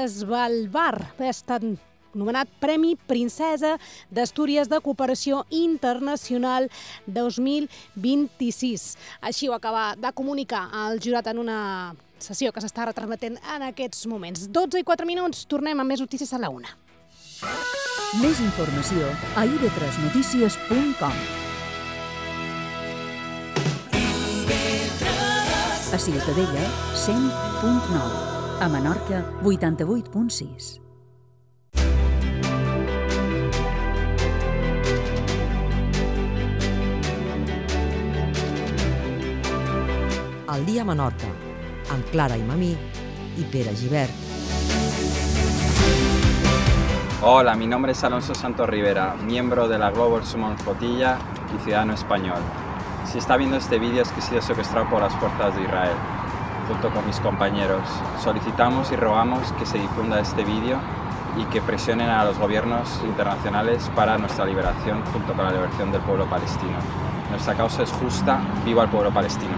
Svalbard. Ha estat nomenat Premi Princesa d'Astúries de Cooperació Internacional 2026. Així ho acaba de comunicar el jurat en una sessió que s'està retransmetent en aquests moments. 12:04, tornem amb més notícies a la 1. Més informació a ib3notícies.com. A Ciutadella, 100.9. A Menorca, 88.6. Al dia a Menorca, amb Clara i Mamí y Pere Gibert. Hola, mi nombre es Alonso Santos Rivera, miembro de la Global Summon Flotilla y ciudadano español. Si está viendo este vídeo es que he sido secuestrado por las fuerzas de Israel, junto con mis compañeros. Solicitamos y rogamos que se difunda este vídeo y que presionen a los gobiernos internacionales para nuestra liberación, junto con la liberación del pueblo palestino. Nuestra causa es justa, viva el pueblo palestino.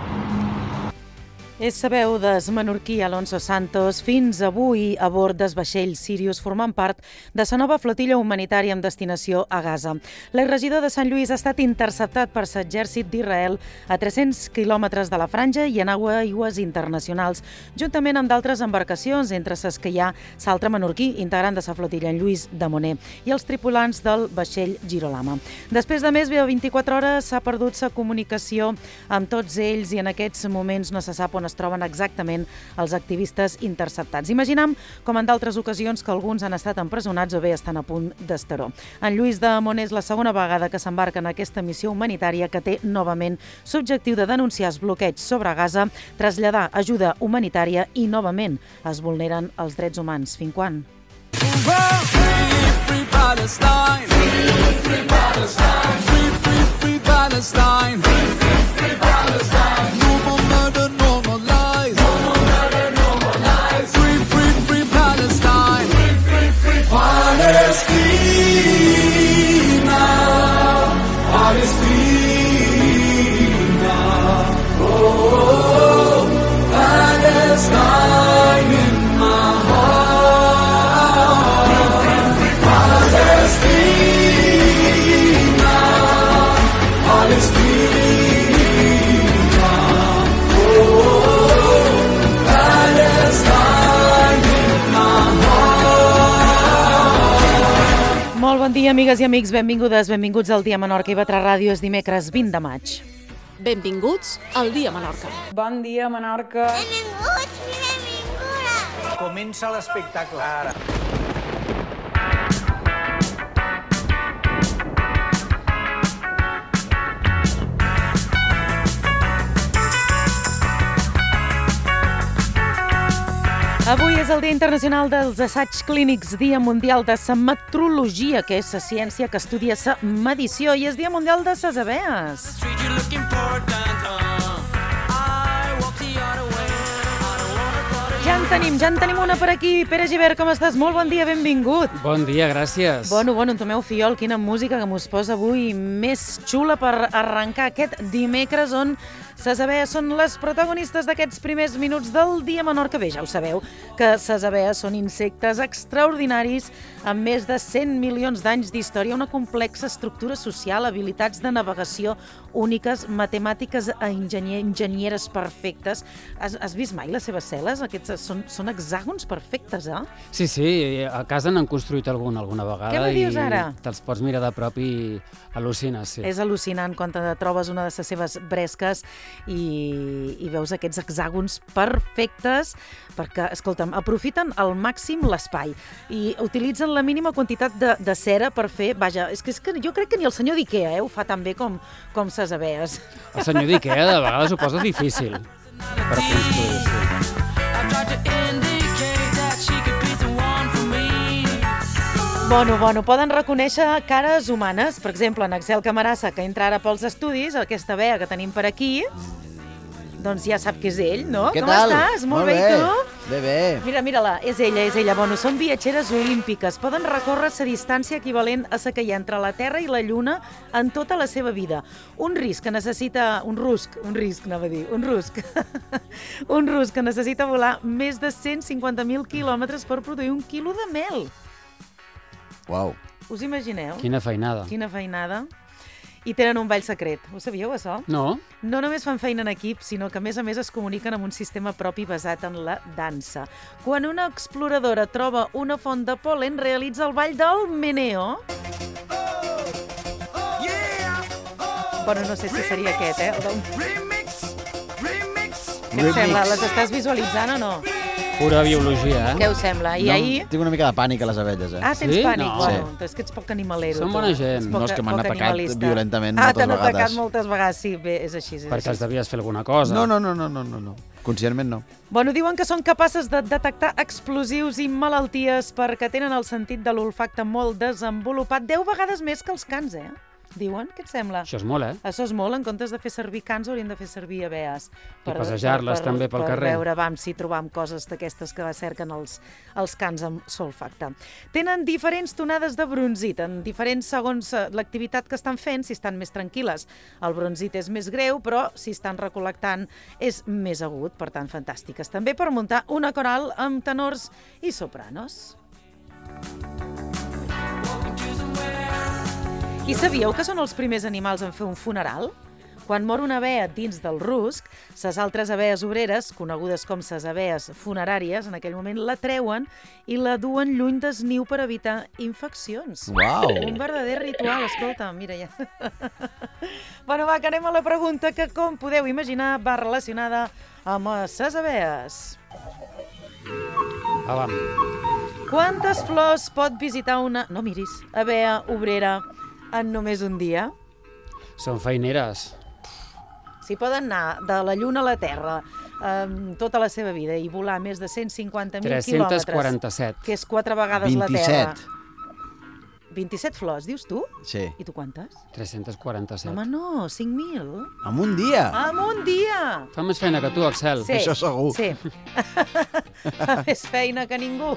És la veu del menorquí Alonso Santos, fins avui a bord del vaixell Sirius, formant part de la nova flotilla humanitària amb destinació a Gaza. L'exregidor de Sant Lluís ha estat interceptat per l'exèrcit d'Israel a 300 quilòmetres de la franja i en aigües internacionals, juntament amb d'altres embarcacions, entre les que hi ha l'altre menorquí, integrant de la flotilla, en Lluís de Moner, i els tripulants del vaixell Girolama. Després de més de 24 hores s'ha perdut la comunicació amb tots ells i en aquests moments no se sap on es troben exactament els activistes interceptats. Imaginem, com en d'altres ocasions, que alguns han estat empresonats o bé estan a punt d'estaró. En Lluís de Moner és la segona vegada que s'embarca en aquesta missió humanitària que té novament l'objectiu de denunciar els bloqueigs sobre Gaza, traslladar ajuda humanitària i novament es vulneren els drets humans. Fins quan? Free Palestine! Free Palestine! Free Palestine! Free Palestine! No more murder, no more lies! No more murder, no more lies! Free Palestine! Free Palestina! Palestina! Oh, Palestine in my heart! Palestina, Palestina, oh, Palestine in my heart. Molt bon dia, amigues i amics, benvingudes, benvinguts al Dia Menorca i Batra Ràdio. És dimecres 20 de maig. Benvinguts al Dia Menorca. Bon dia, Menorca. Benvinguts i benvingudes. Comença l'espectacle ara. Avui és el Dia Internacional dels Assaigs Clínics, Dia Mundial de la Metrologia, que és la ciència que estudia la medició, i és Dia Mundial de les abees. Ja en tenim una per aquí. Pere Gibert, com estàs? Molt bon dia, benvingut. Bon dia, gràcies. Bueno, en Tomeu Fiol, quina música que mos posa avui més xula per arrencar aquest dimecres on les abees són les protagonistes d'aquests primers minuts del Dia Menorca. Bé, ja ho sabeu, que les abees són insectes extraordinaris amb més de 100 milions d'anys d'història, una complexa estructura social, habilitats de navegació úniques, matemàtiques enginyeres perfectes. Has vist mai les seves cel·les? Aquests són hexàgons perfectes, eh? Sí, a casa n'han construït alguna vegada. Què me dius ara? I te'ls pots mirar de prop i al·lucines, sí. És al·lucinant quan te trobes una de les seves bresques i veus aquests hexàgons perfectes perquè, escolta'm, aprofiten al màxim l'espai i utilitzen la mínima quantitat de cera per fer, vaja, és que jo crec que ni el senyor d'Ikea ho fa tan bé com ses abees. El senyor d'Ikea de vegades ho posa difícil per construir, sí. Bueno, poden reconèixer cares humanes. Per exemple, en Axel Camarasa, que entra ara pels estudis, aquesta abea que tenim per aquí, doncs ja sap que és ell, no? Què Com tal? estàs? Molt bé, i tu? Bé. Mira-la, és ella. Bueno, són viatgeres olímpiques. Poden recórrer la distància equivalent a la que hi ha entre la Terra i la Lluna en tota la seva vida. Un rusc que necessita volar més de 150.000 quilòmetres per produir 1 quilo de mel. Uau. Us imagineu? Quina feinada. Quina feinada. I tenen un ball secret. Ho sabíeu, això? No. No només fan feina en equip, sinó que, a més es comuniquen amb un sistema propi basat en la dansa. Quan una exploradora troba una font de pol·len, realitza el ball del meneo. Bueno, no sé si seria aquest, Què et sembla? Les estàs visualitzant o no? Pura biologia, Què us sembla? I ahir... Tinc una mica de pànic a les abelles, Ah, tens pànic? No. Bueno, és que ets poc animalero. Són bona gent. No, és que m'han atacat violentament moltes t'han vegades. atacat moltes vegades, sí, bé, és així. Perquè els devies fer alguna cosa. No. Conscientment no. Bueno, diuen que són capaces de detectar explosius i malalties perquè tenen el sentit de l'olfacte molt desenvolupat, 10 vegades més que els cans, Diuen, què et sembla? Això és molt, Això és molt, en comptes de fer servir cans haurien de fer servir abees. I passejar-les també pel carrer. Per veure, si trobam coses d'aquestes que cerquen els cans amb solfacte. Tenen diferents tonades de bronzit, en diferents segons l'activitat que estan fent, si estan més tranquil·les. El bronzit és més greu, però si estan recol·lectant és més agut, per tant, fantàstiques. També per muntar una coral amb tenors i sopranos. I sabíeu que són els primers animals en fer un funeral? Quan mor una abella dins del rusc, les altres abelles obreres, conegudes com les abelles funeràries, en aquell moment la treuen i la duen lluny del niu per evitar infeccions. Uau! Un verdader ritual, escolta, mira ja. Bueno, va, que anem a la pregunta que, com podeu imaginar, va relacionada amb les abelles. Vam. Quantes flors pot visitar una... No miris, abella obrera en només un dia? Són feineres. Si poden anar de la Lluna a la Terra tota la seva vida i volar més de 150.000 quilòmetres... 347. Que és 4 vegades la Terra. 27 flors, dius tu? Sí. I tu quantes? 347. Home, no, 5.000. En un dia? En un dia! Fa més feina que tu, Axel. Sí, això segur. Sí. Fa més feina que ningú.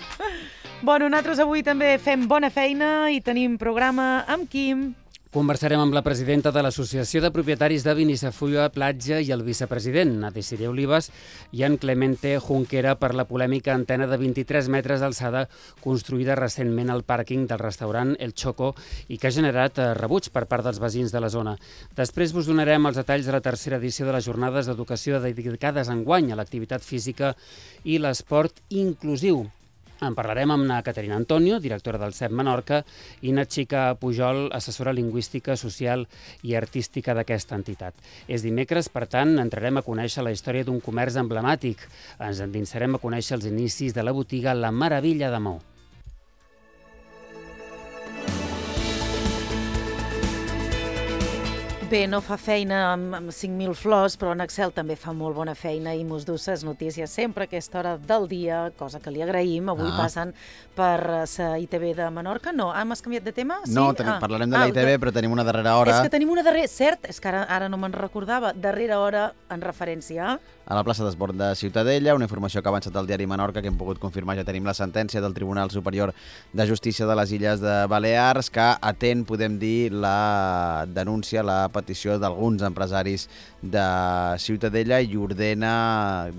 Bueno, nosaltres avui també fem bona feina i tenim programa amb Quim. Conversarem amb la presidenta de l'Associació de Propietaris de Vinissafulla Platja i el vicepresident, Adesiré Olivas, i en Clemente Junquera per la polèmica antena de 23 metres d'alçada construïda recentment al pàrquing del restaurant El Choco i que ha generat rebuig per part dels veïns de la zona. Després vos donarem els detalls de la tercera edició de les jornades d'educació dedicades enguany a l'activitat física i l'esport inclusiu. En parlarem amb na Caterina Antonio, directora del CEP Menorca, i na Xica Pujol, assessora lingüística, social i artística d'aquesta entitat. És dimecres, per tant, entrarem a conèixer la història d'un comerç emblemàtic. Ens endinsarem a conèixer els inicis de la botiga La Meravilla de Maó. Bé, no fa feina amb 5.000 flors, però en Axel també fa molt bona feina i mos du ses notícies sempre a aquesta hora del dia, cosa que li agraïm. Avui passen per la ITV de Menorca. No, has canviat de tema? Sí? No, parlarem de la ITV, però tenim una darrera hora. És que tenim una darrera... Cert, és que ara no me'n recordava. Darrera hora en referència a la plaça d'Esbord de Ciutadella, una informació que ha avançat el diari Menorca, que hem pogut confirmar. Ja tenim la sentència del Tribunal Superior de Justícia de les Illes de Balears, que atén, podem dir, la denúncia, la petició d'alguns empresaris de Ciutadella i ordena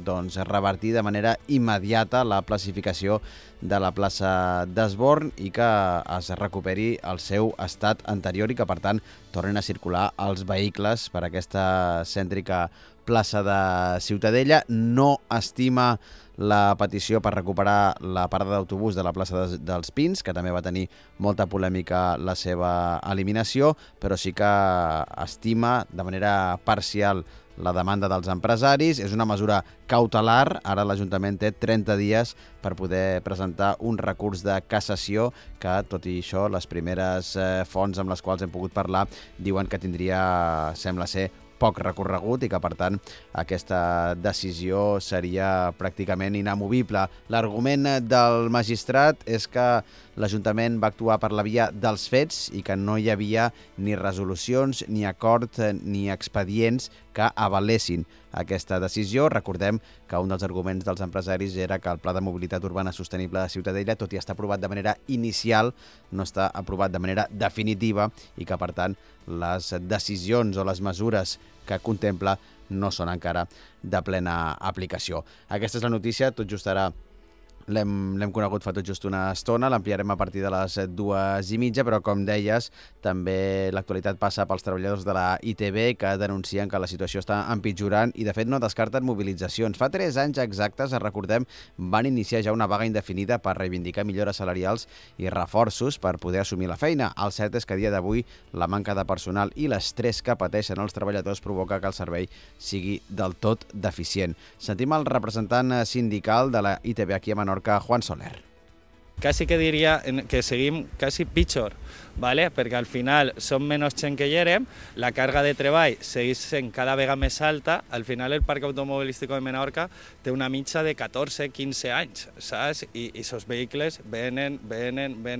revertir de manera immediata la classificació de la plaça d'Esborn i que es recuperi el seu estat anterior i que, per tant, tornin a circular els vehicles per aquesta cèntrica plaça de Ciutadella. No estima la petició per recuperar la parada d'autobús de la plaça dels Pins, que també va tenir molta polèmica la seva eliminació, però sí que estima de manera parcial la demanda dels empresaris. És una mesura cautelar. Ara l'Ajuntament té 30 dies per poder presentar un recurs de cassació que, tot i això, les primeres fonts amb les quals hem pogut parlar diuen que tindria, sembla ser, poc recorregut i que, per tant, aquesta decisió seria pràcticament inamovible. L'argument del magistrat és que l'Ajuntament va actuar per la via dels fets i que no hi havia ni resolucions, ni acord, ni expedients que avalessin aquesta decisió. Recordem que un dels arguments dels empresaris era que el Pla de Mobilitat Urbana Sostenible de Ciutadella, tot i estar aprovat de manera inicial, no està aprovat de manera definitiva i que, per tant, les decisions o les mesures que contempla no són encara de plena aplicació. Aquesta és la notícia, tot just ara l'hem conegut fa tot just una estona, l'ampliarem a partir de les 2:30, però com deies, també l'actualitat passa pels treballadors de la ITV que denuncien que la situació està empitjorant i de fet no descarten mobilitzacions. Fa 3 anys exactes, recordem, van iniciar ja una vaga indefinida per reivindicar millores salarials i reforços per poder assumir la feina. El cert és que a dia d'avui la manca de personal i l'estrès que pateixen els treballadors provoca que el servei sigui del tot deficient. Sentim el representant sindical de la ITV aquí a Menorca, Juan Soler. Casi que diria que seguim quasi pitjor, ¿vale? Perquè al final som menys gent que hi érem, la càrrega de treball segueix sent cada vegada més alta, al final el parc automobilístic de Menorca té una mitja de 14-15 anys, saps? I aquests vehicles venen,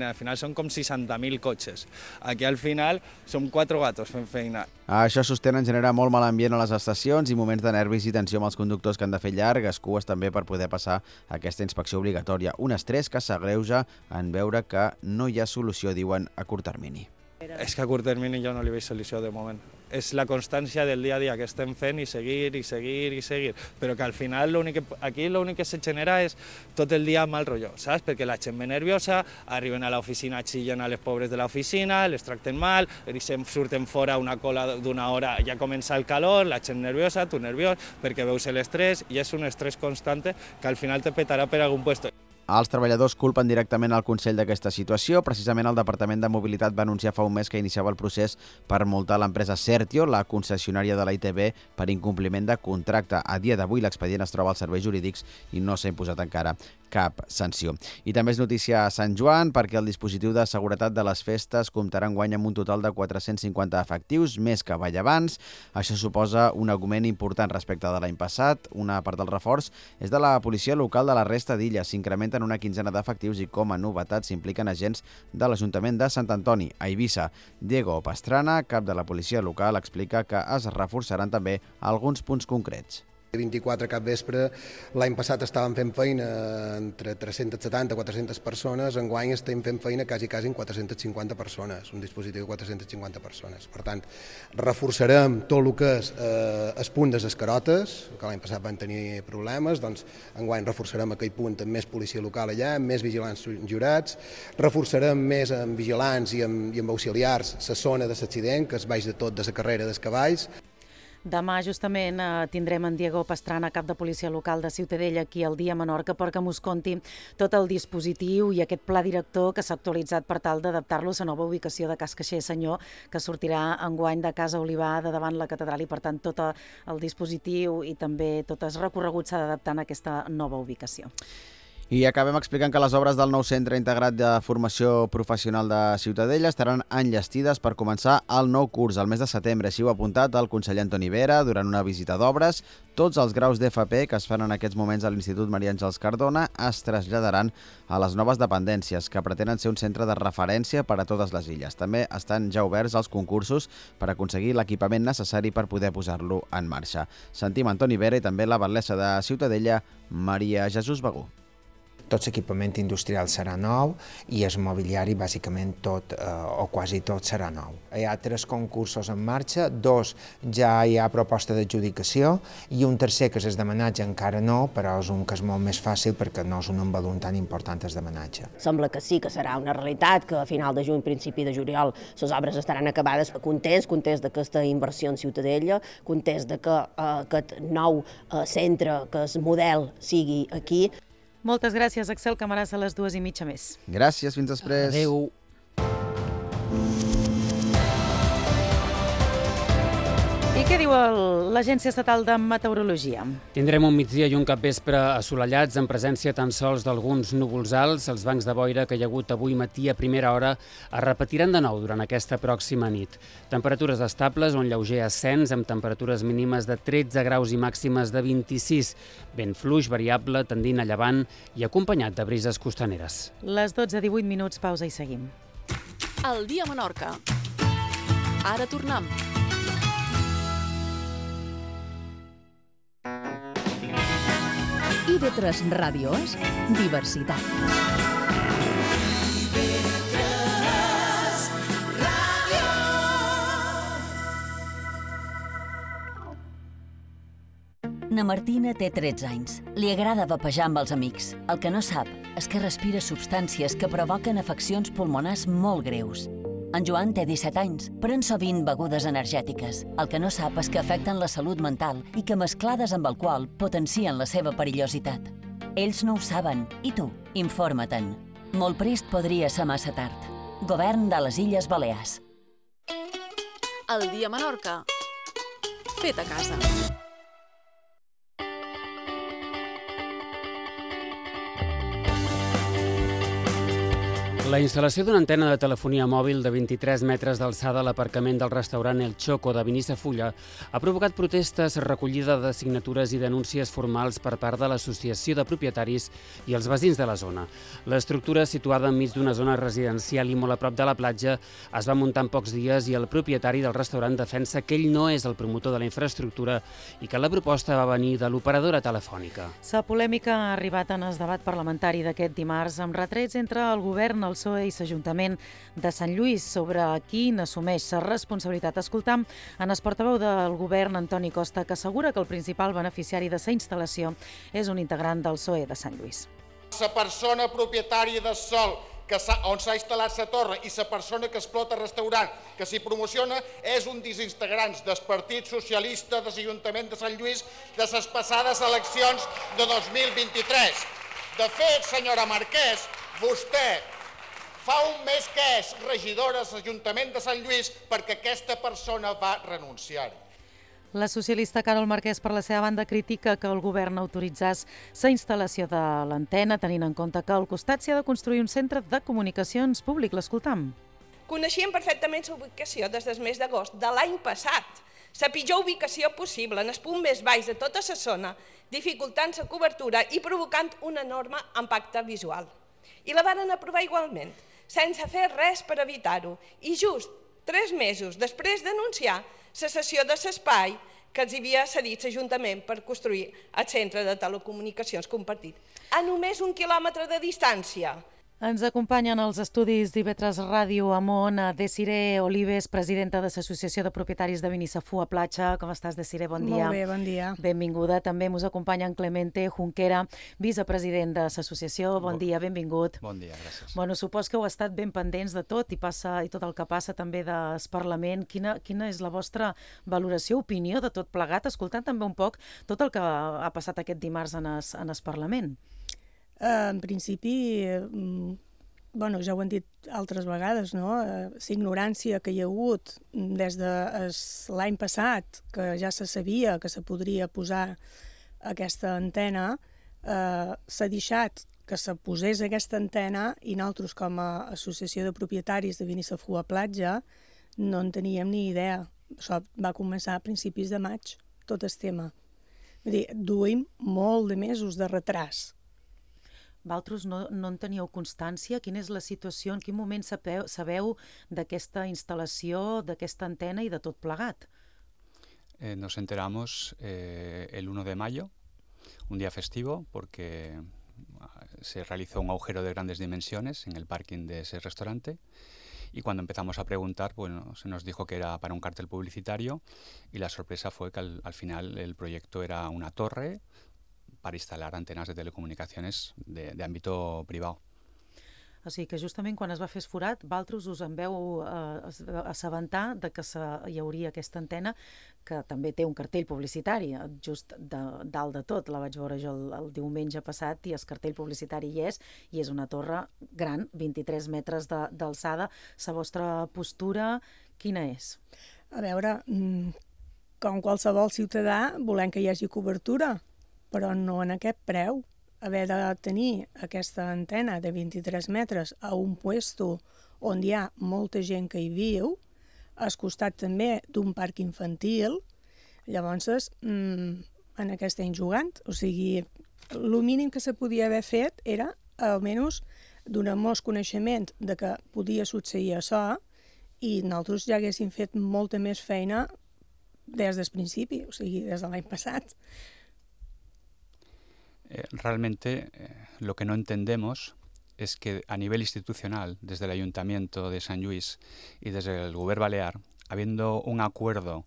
al final són com 60.000 cotxes. Aquí al final som 4 gatos fent feina. Això sostenen genera molt mal ambient a les estacions i moments de nervis i tensió amb els conductors que han de fer llargues cues també per poder passar aquesta inspecció obligatòria. Un estrès que s'agreuja en veure que no hi ha solució, diuen, a curt termini. És que a curt termini jo no li veig solució de moment. És la constància del dia a dia que estem fent i seguir, però que al final aquí l'únic que se genera és tot el dia mal rotllo, saps? Perquè la gent ve nerviosa, arriben a l'oficina, xillen a les pobres de l'oficina, les tracten mal, surten fora una cola d'una hora, ja comença el calor, la gent nerviosa, tu nerviós, perquè veus l'estrès i és un estrès constant que al final te petarà per algun puesto. Els treballadors culpen directament el Consell d'aquesta situació. Precisament el Departament de Mobilitat va anunciar fa un mes que iniciava el procés per multar l'empresa Certio, la concessionària de la ITV, per incompliment de contracte. A dia d'avui l'expedient es troba als serveis jurídics i no s'ha imposat encara cap sanció. I també és notícia a Sant Joan perquè el dispositiu de seguretat de les festes comptarà enguany amb un total de 450 efectius, més que ball abans. Això suposa un augment important respecte de l'any passat. Una part del reforç és de la policia local de la resta d'illes. S'incrementen una quinzena d'efectius i com a novetat s'impliquen agents de l'Ajuntament de Sant Antoni, a Eivissa. Diego Pastrana, cap de la policia local, explica que es reforçaran també alguns punts concrets. 24 cap vespre, l'any passat estàvem fent feina entre 370 i 400 persones, enguany estem fent feina quasi en 450 persones, un dispositiu de 450 persones. Per tant, reforçarem tot el que és el punt de les carotes, que l'any passat van tenir problemes, doncs enguany reforçarem aquell punt amb més policia local allà, amb més vigilants jurats, reforçarem més amb vigilants i amb auxiliars la zona de l'accident, que es baix de tot de la carrera dels cavalls. Demà justament tindrem en Diego Pastrana, cap de policia local de Ciutadella, aquí al Dia Menorca, perquè mos conti tot el dispositiu i aquest pla director que s'ha actualitzat per tal d'adaptar-lo a la nova ubicació de Cas Caixer Senyor, que sortirà enguany de Casa Olivar de davant la catedral i, per tant, tot el dispositiu i també tot el recorregut s'ha d'adaptar en aquesta nova ubicació. I acabem explicant que les obres del nou Centre Integrat de Formació Professional de Ciutadella estaran enllestides per començar el nou curs al mes de setembre. Així ho ha apuntat el conseller Antoni Vera durant una visita d'obres. Tots els graus d'FP que es fan en aquests moments a l'Institut Maria Àngels Cardona es traslladaran a les noves dependències, que pretenen ser un centre de referència per a totes les illes. També estan ja oberts els concursos per aconseguir l'equipament necessari per poder posar-lo en marxa. Sentim Antoni Vera i també la batlessa de Ciutadella, Maria Jesús Begú. Tot l'equipament industrial serà nou i el mobiliari, bàsicament tot o quasi tot serà nou. Hi ha 3 concursos en marxa, 2 ja hi ha proposta d'adjudicació i un tercer, que és d'homenatge, encara no, però és un que és molt més fàcil perquè no és un volum tan important el d'homenatge. Sembla que sí, que serà una realitat, que a final de juny, principi de juliol, les obres estaran acabades. Contents d'aquesta inversió en Ciutadella, contents que aquest nou centre, que és model, sigui aquí. Moltes gràcies, Axel Camaràs, a les 2:30 més. Gràcies, fins després. Adéu. I què diu l'Agència Estatal de Meteorologia? Tindrem un migdia i un capvespre assolellats en presència tan sols d'alguns núvols alts. Els bancs de boira que hi ha hagut avui matí a primera hora es repetiran de nou durant aquesta pròxima nit. Temperatures estables, un lleuger ascens amb temperatures mínimes de 13 graus i màximes de 26. Vent fluix, variable, tendint a llevant i acompanyat de brises costaneres. Les 12:18, pausa i seguim. El dia a Menorca. Ara tornem. IB3 Ràdio és diversitat. Na Martina té 13 anys. Li agrada vapejar amb els amics. El que no sap és que respira substàncies que provoquen afeccions pulmonars molt greus. En Joan té 17 anys, pren sovint begudes energètiques. El que no sap és que afecten la salut mental i que mesclades amb alcohol potencien la seva perillositat. Ells no ho saben, i tu, informa-te'n. Molt prest podria ser massa tard. Govern de les Illes Balears. El dia a Menorca. Fet a casa. La instal·lació d'una antena de telefonia mòbil de 23 metres d'alçada a l'aparcament del restaurant El Choco de Binissafulla ha provocat protestes, recollida de signatures i denúncies formals per part de l'Associació de Propietaris i els veïns de la zona. L'estructura, situada enmig d'una zona residencial i molt a prop de la platja, es va muntar en pocs dies i el propietari del restaurant defensa que ell no és el promotor de la infraestructura i que la proposta va venir de l'operadora telefònica. La polèmica ha arribat en el debat parlamentari d'aquest dimarts amb retrets entre el govern, el PSOE i l'Ajuntament de Sant Lluís sobre qui n'assumeix la responsabilitat. Escoltam en el portaveu del govern, Antoni Costa, que assegura que el principal beneficiari de la instal·lació és un integrant del PSOE de Sant Lluís. La persona propietària del sòl on s'ha instal·lat la torre i la persona que explota el restaurant que s'hi promociona és un dels integrants del Partit Socialista de l'Ajuntament de Sant Lluís de les passades eleccions de 2023. De fet, senyora Marquès, vostè fa un mes que és regidora de l'Ajuntament de Sant Lluís perquè aquesta persona va renunciar-hi. La socialista Carol Marquès, per la seva banda, critica que el govern autoritzés la instal·lació de l'antena, tenint en compte que al costat s'hi ha de construir un centre de comunicacions públic. L'escoltam. Coneixíem perfectament la ubicació des del mes d'agost de l'any passat. La pitjor ubicació possible, en el punt més baix de tota la zona, dificultant la cobertura i provocant un enorme impacte visual. I la varen aprovar igualment, sense fer res per evitar-ho. I just 3 mesos després d'anunciar la cessió de l'espai que els havia cedit l'Ajuntament per construir el centre de telecomunicacions compartit, a només 1 quilòmetre de distància. Ens acompanyen als estudis d'IB3 Ràdio Amon Desiree Olives, presidenta de l'Associació de Propietaris de Binissafulla Platja. Com estàs, Desiree? Bon dia. Molt bé, bon dia. Benvinguda. També ens acompanya en Clemente Junquera, vicepresident de l'associació. Bon dia, benvingut. Bon dia, gràcies. Bueno, supos que heu estat ben pendents de tot i tot el que passa també del Parlament. Quina és la vostra valoració, opinió de tot plegat, escoltant també un poc tot el que ha passat aquest dimarts en el Parlament? En principi, ja ho han dit altres vegades, no? La ignorància que hi ha hagut des de l'any passat, que ja se sabia que se podria posar aquesta antena, s'ha deixat que se posés aquesta antena i nosaltres, com a associació de propietaris de Binissafulla Platja, no en teníem ni idea. Això va començar a principis de maig, tot el tema. Vull dir, duim molt de mesos de retras. Vosaltres no en teníeu constància? Quina és la situació? En quin moment sabeu d'aquesta instal·lació, d'aquesta antena i de tot plegat? Nos enteramos el 1 de mayo, un día festivo, porque se realizó un agujero de grandes dimensiones en el parking de ese restaurante. Y cuando empezamos a preguntar, bueno, se nos dijo que era para un cartel publicitario y la sorpresa fue que al final el proyecto era una torre para instalar antenas de telecomunicaciones de ámbito privado. O sigui que justament quan es va fer el forat, vosaltres us en veu assabentar de que hi hauria aquesta antena, que també té un cartell publicitari, just dalt de tot. La vaig veure jo el diumenge passat i el cartell publicitari hi és una torre gran, 23 metres d'alçada. La vostra postura, quina és? A veure, com qualsevol ciutadà, volem que hi hagi cobertura, però no en aquest preu. Haver de tenir aquesta antena de 23 metres a un puesto on hi ha molta gent que hi viu, al costat també d'un parc infantil, llavors en què estem jugant? O sigui, el mínim que se podia haver fet era, almenys, donar-nos coneixement de que podia succeir això i nosaltres ja haguéssim fet molta més feina des del principi, o sigui, des de l'any passat. Realmente lo que no entendemos es que a nivel institucional, desde el Ayuntamiento de Sant Lluís y desde el Govern Balear, habiendo un acuerdo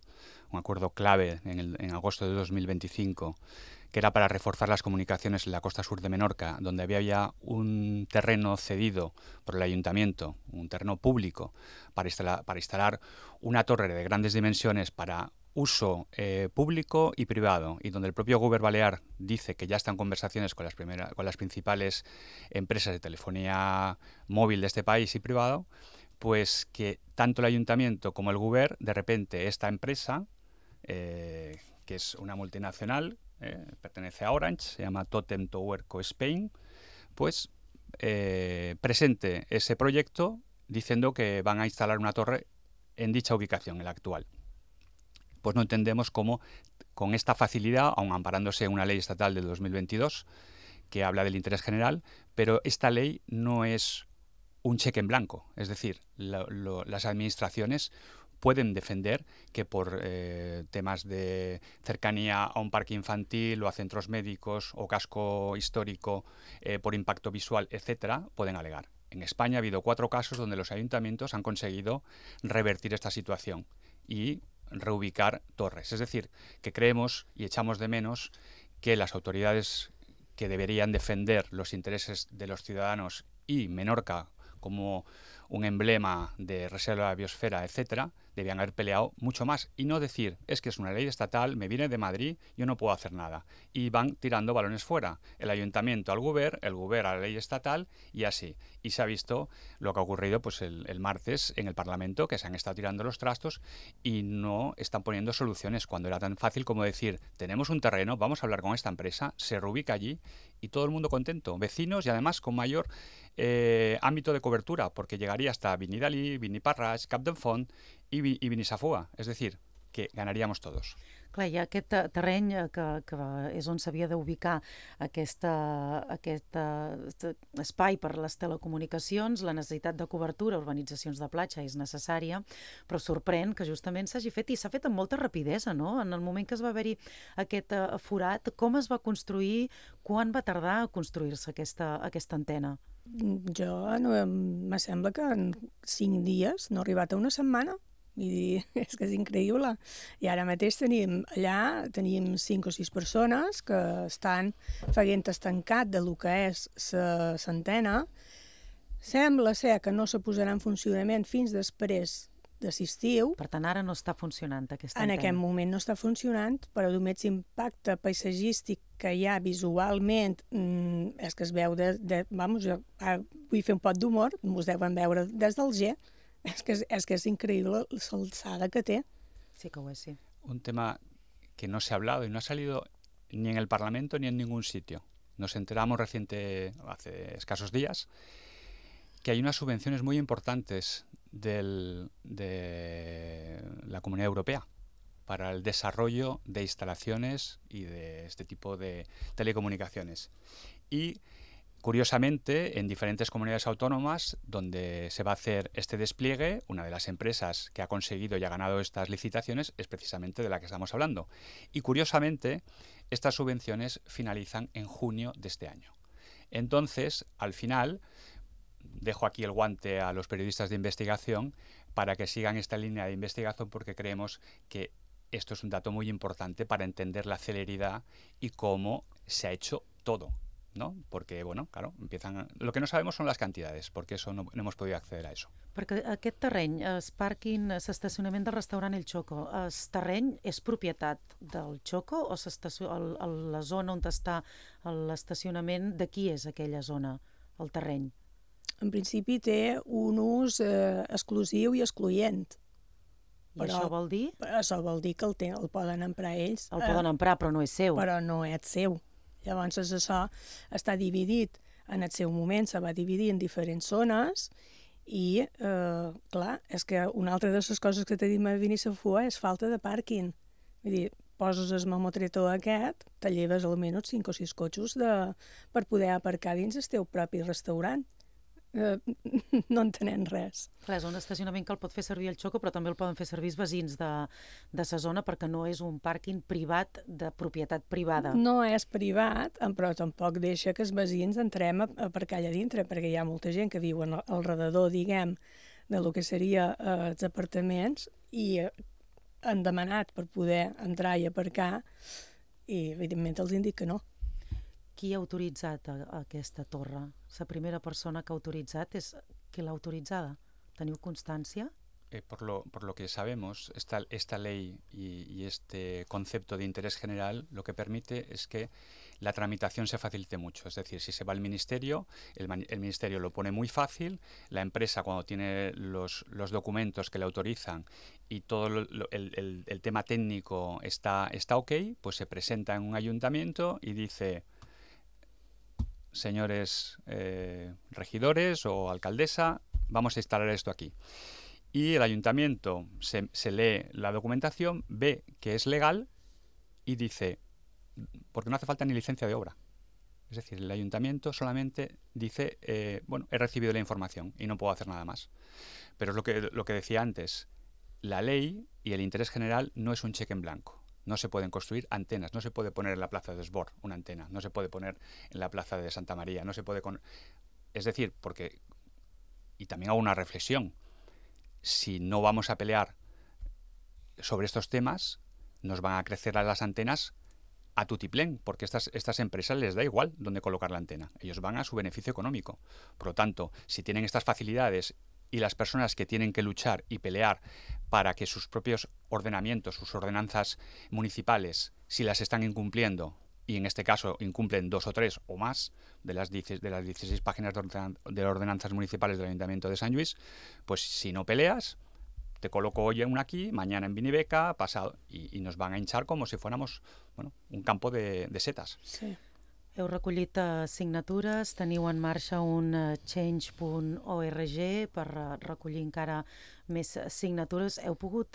clave en agosto de 2025, que era para reforzar las comunicaciones en la costa sur de Menorca, donde había ya un terreno cedido por el ayuntamiento, un terreno público, para instalar una torre de grandes dimensiones para uso público y privado, y donde el propio Govern Balear dice que ya están conversaciones con las principales empresas de telefonía móvil de este país y privado, pues que tanto el ayuntamiento como el Govern, de repente esta empresa, que es una multinacional, pertenece a Orange, se llama Totem Tower Co Spain, pues presente ese proyecto diciendo que van a instalar una torre en dicha ubicación, en la actual. Pues no entendemos cómo, con esta facilidad, aun amparándose en una ley estatal del 2022 que habla del interés general, pero esta ley no es un cheque en blanco. Es decir, las administraciones pueden defender que por temas de cercanía a un parque infantil o a centros médicos o casco histórico, por impacto visual, etcétera, pueden alegar. En España ha habido 4 casos donde los ayuntamientos han conseguido revertir esta situación y reubicar torres. Es decir, que creemos y echamos de menos que las autoridades que deberían defender los intereses de los ciudadanos y Menorca como un emblema de reserva de la biosfera, etcétera, debían haber peleado mucho más y no decir, es que es una ley estatal, me viene de Madrid, yo no puedo hacer nada. Y van tirando balones fuera. El ayuntamiento al Govern, el Govern a la ley estatal y así. Y se ha visto lo que ha ocurrido pues el martes en el Parlamento, que se han estado tirando los trastos y no están poniendo soluciones cuando era tan fácil como decir, tenemos un terreno, vamos a hablar con esta empresa, se reubica allí y todo el mundo contento, vecinos y además con mayor ámbito de cobertura, porque llegaría hasta Vinidalí, Viniparras, Capdepont i Binissafoa, és a dir, que ganaríamos todos. Clar, hi ha aquest terreny que és on s'havia d'ubicar aquest espai per les telecomunicacions, la necessitat de cobertura, urbanitzacions de platja és necessària, però sorprèn que justament s'hagi fet, i s'ha fet amb molta rapidesa, no? En el moment que es va haver-hi aquest forat, com es va construir, quan va tardar a construir-se aquesta antena? Me sembla que en 5 dies, no ha arribat a una setmana. És que és increïble. I ara mateix tenim 5 o 6 persones que estan fent estancat del que és l'antena. Sembla ser que no se posarà en funcionament fins després de l'estiu. Per tant, ara no està funcionant aquesta antena. En aquest moment no està funcionant, però només l'impacte paisatgístic que hi ha visualment és que es veu vamos, jo vull fer un pot d'humor, us deuen veure des del G. És que és increïble l'alçada que té. Sí que ho és, sí. Un tema que no se ha hablado y no ha salido ni en el Parlamento ni en ningún sitio. Nos enteramos hace escasos días, que hay unas subvenciones muy importantes de la Comunidad Europea para el desarrollo de instalaciones y de este tipo de telecomunicaciones. Y curiosamente, en diferentes comunidades autónomas donde se va a hacer este despliegue, una de las empresas que ha conseguido y ha ganado estas licitaciones es precisamente de la que estamos hablando. Y curiosamente, estas subvenciones finalizan en junio de este año. Entonces, al final, dejo aquí el guante a los periodistas de investigación para que sigan esta línea de investigación, porque creemos que esto es un dato muy importante para entender la celeridad y cómo se ha hecho todo, ¿no? Porque, bueno, claro, lo que no sabemos son las cantidades, porque eso no hemos podido acceder a eso. Perquè aquest terreny, el pàrquing, l'estacionament del restaurant El Choco, el terreny és propietat del Choco o la zona on està l'estacionament, de qui és aquella zona, el terreny? En principi té un ús exclusiu i excloent. I això vol dir? Això vol dir que el poden emprar ells. El poden emprar, però no és seu. Però no és seu. Llavors això està dividit en el seu moment, se va dividir en diferents zones i, clar, és que una altra de les coses que tenim a Benissafua és falta de pàrquing. Vull dir, poses el mamotretó aquest, te lleves almenys 5 o 6 cotxos per poder aparcar dins el teu propi restaurant. No entenem res. Clar, és un estacionament que el pot fer servir el Choco, però també el poden fer servir els veïns de sa zona, perquè no és un pàrquing privat de propietat privada. No és privat, però tampoc deixa que els veïns entrem a aparcar allà dintre, perquè hi ha molta gent que viu al redador, diguem, de lo que seria els apartaments, i han demanat per poder entrar i aparcar, i evidentment els indica que no. Qui ha autoritzat aquesta torre? La primera persona que ha autoritzat és qui l'ha autoritzada. ¿Teniu constancia? Por lo que sabemos, esta ley y este concepto de interés general lo que permite es que la tramitación se facilite mucho. Es decir, si se va al ministerio, el ministerio lo pone muy fácil, la empresa cuando tiene los documentos que le autorizan y todo el tema técnico está ok, pues se presenta en un ayuntamiento y dice: señores regidores o alcaldesa, vamos a instalar esto aquí. Y el ayuntamiento se lee la documentación, ve que es legal y dice, porque no hace falta ni licencia de obra. Es decir, el ayuntamiento solamente dice, bueno, he recibido la información y no puedo hacer nada más. Pero es lo que decía antes, la ley y el interés general no es un cheque en blanco. No se pueden construir antenas, no se puede poner en la plaza de Esbor una antena, no se puede poner en la plaza de Santa María, no se puede... Es decir, porque... Y también hago una reflexión. Si no vamos a pelear sobre estos temas, nos van a crecer las antenas a tutiplén, porque estas empresas les da igual dónde colocar la antena. Ellos van a su beneficio económico. Por lo tanto, si tienen estas facilidades y las personas que tienen que luchar y pelear para que sus propios ordenamientos, sus ordenanzas municipales, si las están incumpliendo, y en este caso incumplen 2 o 3 o más de las 16 páginas de ordenanzas municipales del Ayuntamiento de Sant Lluís, pues si no peleas, te coloco hoy una aquí, mañana en Binibeca, pasado, y nos van a hinchar como si fuéramos, bueno, un campo de setas. Sí. Heu recollit signatures, teniu en marxa un change.org per recollir encara més signatures. Heu pogut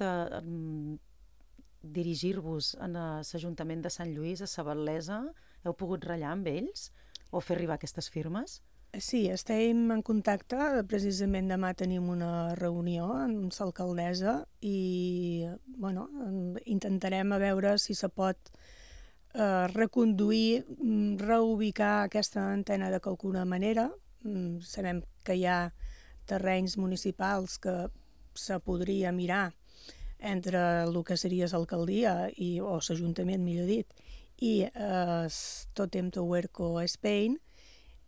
dirigir-vos a l'Ajuntament de Sant Lluís, a Sabatlesa? Heu pogut ratllar amb ells o fer arribar aquestes firmes? Sí, estem en contacte. Precisament demà tenim una reunió amb l'alcaldessa i bueno, intentarem a veure si se pot reconduir, reubicar aquesta antena de qualcuna manera. Sabem que hi ha terrenys municipals que se podria mirar entre el que seria l'alcaldia o l'Ajuntament, millor dit, i Totem to Huerco Spain,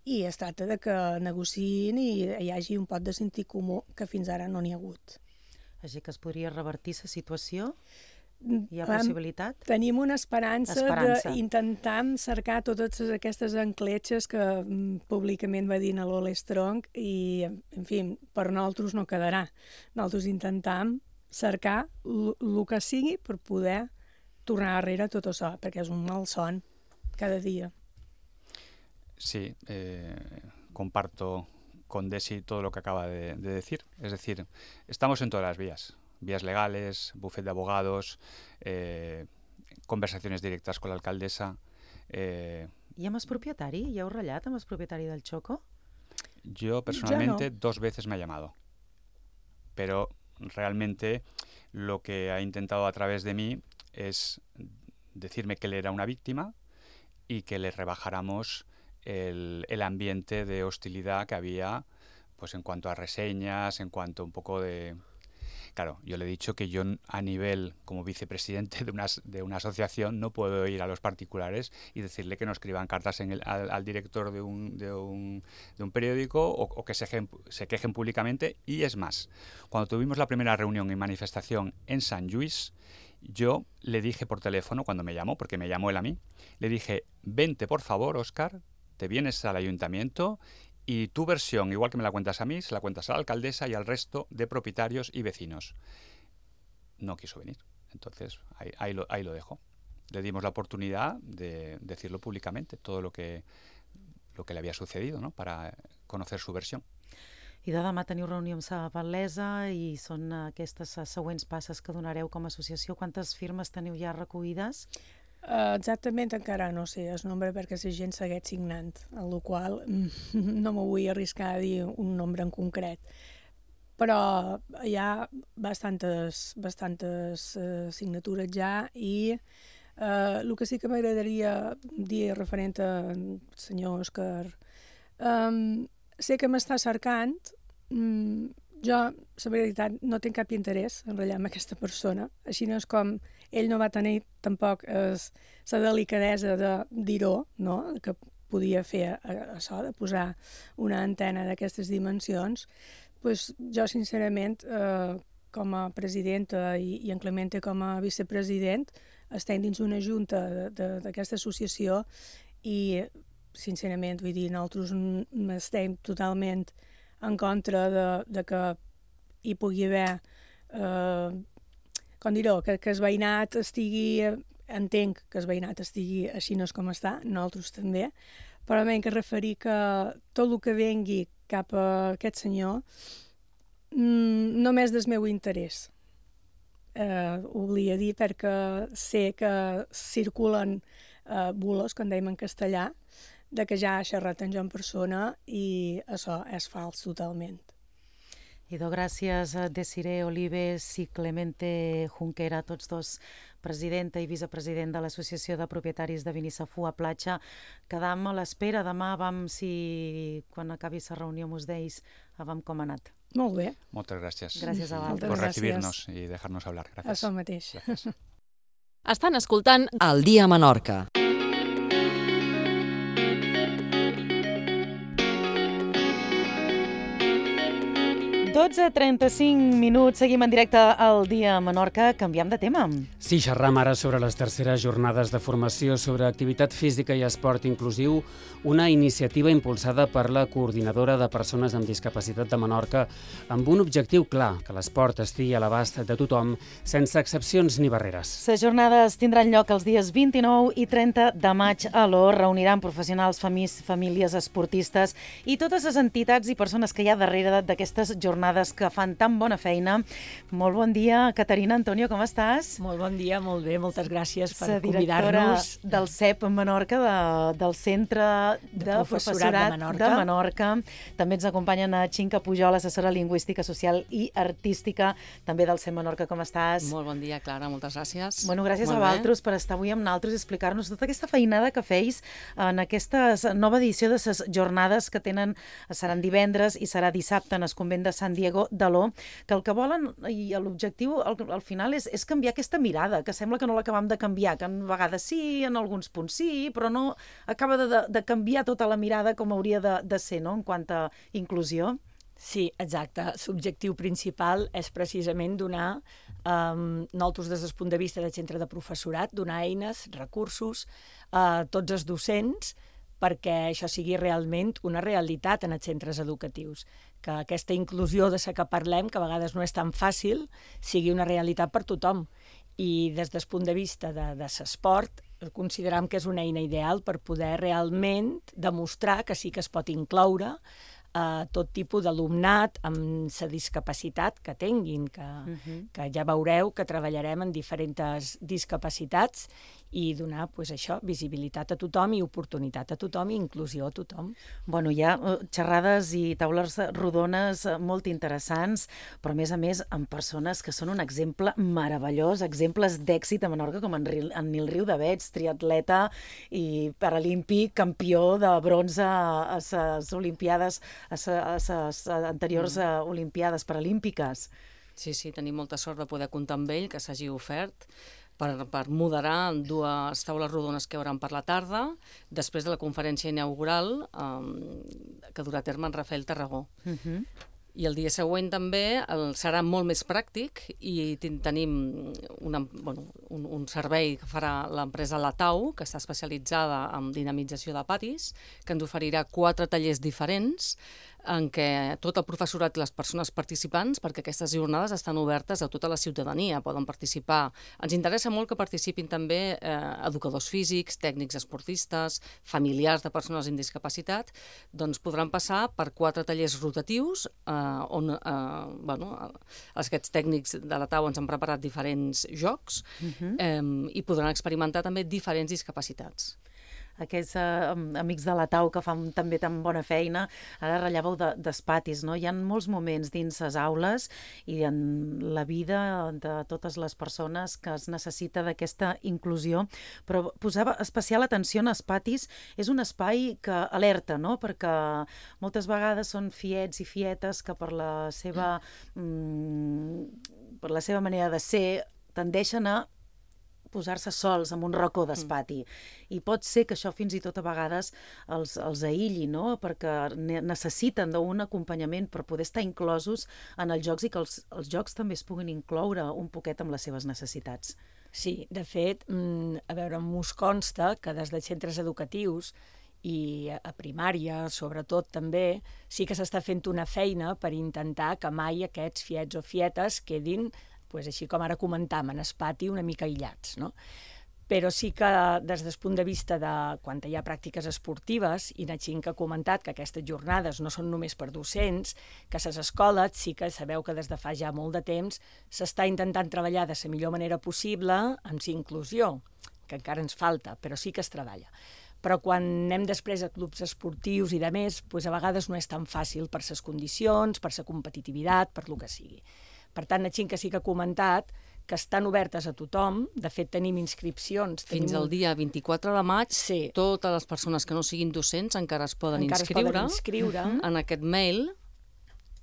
i es tracta de que negociïn i hi hagi un pot de sentit comú que fins ara no n'hi ha hagut. Així que es podria revertir la situació? Hi ha possibilitat? Tenim una esperança d'intentar cercar totes aquestes encletxes que públicament va dir a l'Ole Strong i, en fi, per nosaltres no quedarà. Nosaltres intentam cercar el que sigui per poder tornar darrere tot això, perquè és un malson cada dia. Sí, comparto con Desi todo lo que acaba de decir. Es decir, estamos en todas las vías legales, bufet de abogados, conversaciones directas con la alcaldesa. I amb el propietari? Ja heu ratllat amb el propietari del Choco? Yo personalmente 2 veces me ha llamado, pero realmente lo que ha intentado a través de mí es decirme que él era una víctima y que le rebajáramos el ambiente de hostilidad que había, pues en cuanto a reseñas, en cuanto un poco de... Claro, yo le he dicho que yo a nivel como vicepresidente de una asociación no puedo ir a los particulares y decirle que no escriban cartas al director de un periódico o que se quejen públicamente. Y es más, cuando tuvimos la primera reunión y manifestación en Sant Lluís, yo le dije por teléfono, cuando me llamó, porque me llamó él a mí, le dije, vente por favor, Óscar, te vienes al ayuntamiento y tu versión, igual que me la cuentas a mí, se la cuentas a la alcaldesa y al resto de propietarios y vecinos. no quiso venir. Entonces, ahí lo dejo. Le dimos la oportunidad de decirlo públicamente, todo lo que le había sucedido, ¿no? Para conocer su versión. I de demà teniu reunió amb Sa Val·lesa i són aquestes següents passes que donareu com a associació. Quantes firmes teniu ja recollides? Exactament encara no sé el nombre perquè la gent segueix signant, amb la qual no me vull arriscar a dir un nombre en concret. Però hi ha bastantes signatures ja i el que sí que m'agradaria dir referent al senyor Òscar, sé que m'està cercant, jo, la veritat, no tinc cap interès en ratllar amb aquesta persona, així no és com ell no va tenir tampoc la delicadesa de dir-ho, no? Que podia fer això, de posar una antena d'aquestes dimensions. Pues jo, sincerament, com a presidenta i en Clemente com a vicepresident, estem dins una junta d'aquesta associació i, sincerament, vull dir, nosaltres estem totalment en contra de que hi pugui haver, com dir-ho, que el veïnat estigui, entenc que el veïnat estigui així no és com està, nosaltres també, però m'he de referir que tot el que vengui cap a aquest senyor només del meu interès. Ho volia dir perquè sé que circulen bulos, com dèiem en castellà, de que ja ha xerrat amb jo en persona i això és fals totalment. Idò, gràcies a Desiree Olives i Clemente Junquera, tots dos presidenta i vicepresident de l'Associació de Propietaris de Binisafú a Platja. Quedam a l'espera. Demà quan acabi la reunió mos deis com ha anat. Molt bé. Moltes gràcies. Gràcies a vosaltres. Por recibirnos i dejar-nos hablar. Gràcies. Això mateix. Estan escoltant El dia a Menorca. 12:35, seguim en directe al Dia a Menorca, canviem de tema. Sí, xerram ara sobre les terceres jornades de formació sobre activitat física i esport inclusiu, una iniciativa impulsada per la Coordinadora de Persones amb Discapacitat de Menorca, amb un objectiu clar, que l'esport estigui a l'abast de tothom, sense excepcions ni barreres. Les jornades tindran lloc els dies 29 i 30 de maig a l'Or, reuniran professionals, famílies, esportistes i totes les entitats i persones que hi ha darrere d'aquestes jornades que fan tan bona feina. Molt bon dia, Caterina, Antonio, com estàs? Molt bon dia, molt bé, moltes gràcies per convidar-nos. convidar-nos. Del CEP Menorca, del Centre de Professorat de Menorca. També ens acompanyen a Xinca Pujol, assessora lingüística, social i artística, també del CEP Menorca. Com estàs? Molt bon dia, Clara, moltes gràcies. Bueno, gràcies a vosaltres per estar avui amb nosaltres i explicar-nos tota aquesta feinada que feis en aquesta nova edició de les jornades que seran divendres i serà dissabte en el convent de Sant Diego de l'O, que el que volen i l'objectiu al final és canviar aquesta mirada, que sembla que no l'acabem de canviar, que a vegades sí, en alguns punts sí, però no acaba de canviar tota la mirada com hauria de ser, no?, en quant a inclusió. Sí, exacte. L'objectiu principal és precisament donar, nosaltres des del punt de vista del centre de professorat, donar eines, recursos a tots els docents perquè això sigui realment una realitat en els centres educatius, que aquesta inclusió de la que parlem, que a vegades no és tan fàcil, sigui una realitat per tothom. I des del punt de vista de l'esport, consideram que és una eina ideal per poder realment demostrar que sí que es pot incloure tot tipus d'alumnat amb la discapacitat que tinguin, que ja veureu que treballarem en diferents discapacitats i donar, això, visibilitat a tothom i oportunitat a tothom i inclusió a tothom. Bueno, hi ha xerrades i taules rodones molt interessants, però a més amb persones que són un exemple meravellós, exemples d'èxit a Menorca, com en Nil Riudavets, triatleta i paralímpic, campió de bronze a les Olimpiades, a les anteriors Olimpiades paralímpiques. Sí, tenim molta sort de poder comptar amb ell, que s'hagi ofert per moderar dues taules rodones que hi haurà per la tarda, després de la conferència inaugural que durà a terme en Rafael Tarragó. I el dia següent també serà molt més pràctic i tenim un servei que farà l'empresa Latau, que està especialitzada en dinamització de patis, que ens oferirà 4 tallers diferents en què tot el professorat i les persones participants, perquè aquestes jornades estan obertes a tota la ciutadania, poden participar. Ens interessa molt que participin també educadors físics, tècnics esportistes, familiars de persones amb discapacitat, doncs podran passar per 4 tallers rotatius on aquests tècnics de la TAU ens han preparat diferents jocs i podran experimentar també diferents discapacitats. Aquests amics de la TAU que fan també tan bona feina, ara relleveu d'espatis, no? Hi ha molts moments dins les aules i en la vida de totes les persones que es necessita d'aquesta inclusió, però posava especial atenció en espatis, és un espai que alerta, no? Perquè moltes vegades són fiets i fietes que per la seva manera de ser tendeixen a posar-se sols en un racó d'espati. I pot ser que això fins i tot a vegades els aïlli, no? Perquè necessiten d'un acompanyament per poder estar inclosos en els jocs i que els jocs també es puguin incloure un poquet amb les seves necessitats. Sí, de fet, a veure, m'us consta que des de centres educatius i a primària, sobretot també, sí que s'està fent una feina per intentar que mai aquests fiets o fietes quedin, així com ara comentàvem, en espati una mica aïllats, no? Però sí que des del punt de vista de quan hi ha pràctiques esportives, i Natxin que ha comentat que aquestes jornades no són només per docents, que a les escoles sí que sabeu que des de fa ja molt de temps s'està intentant treballar de la millor manera possible amb la inclusió, que encara ens falta, però sí que es treballa. Però quan anem després a clubs esportius i de més, a vegades no és tan fàcil per les condicions, per la competitivitat, per lo que sigui. Per tant, Natxin que sí que ha comentat que estan obertes a tothom, de fet tenim inscripcions. Fins al dia 24 de maig, totes les persones que no siguin docents encara es poden inscriure en aquest mail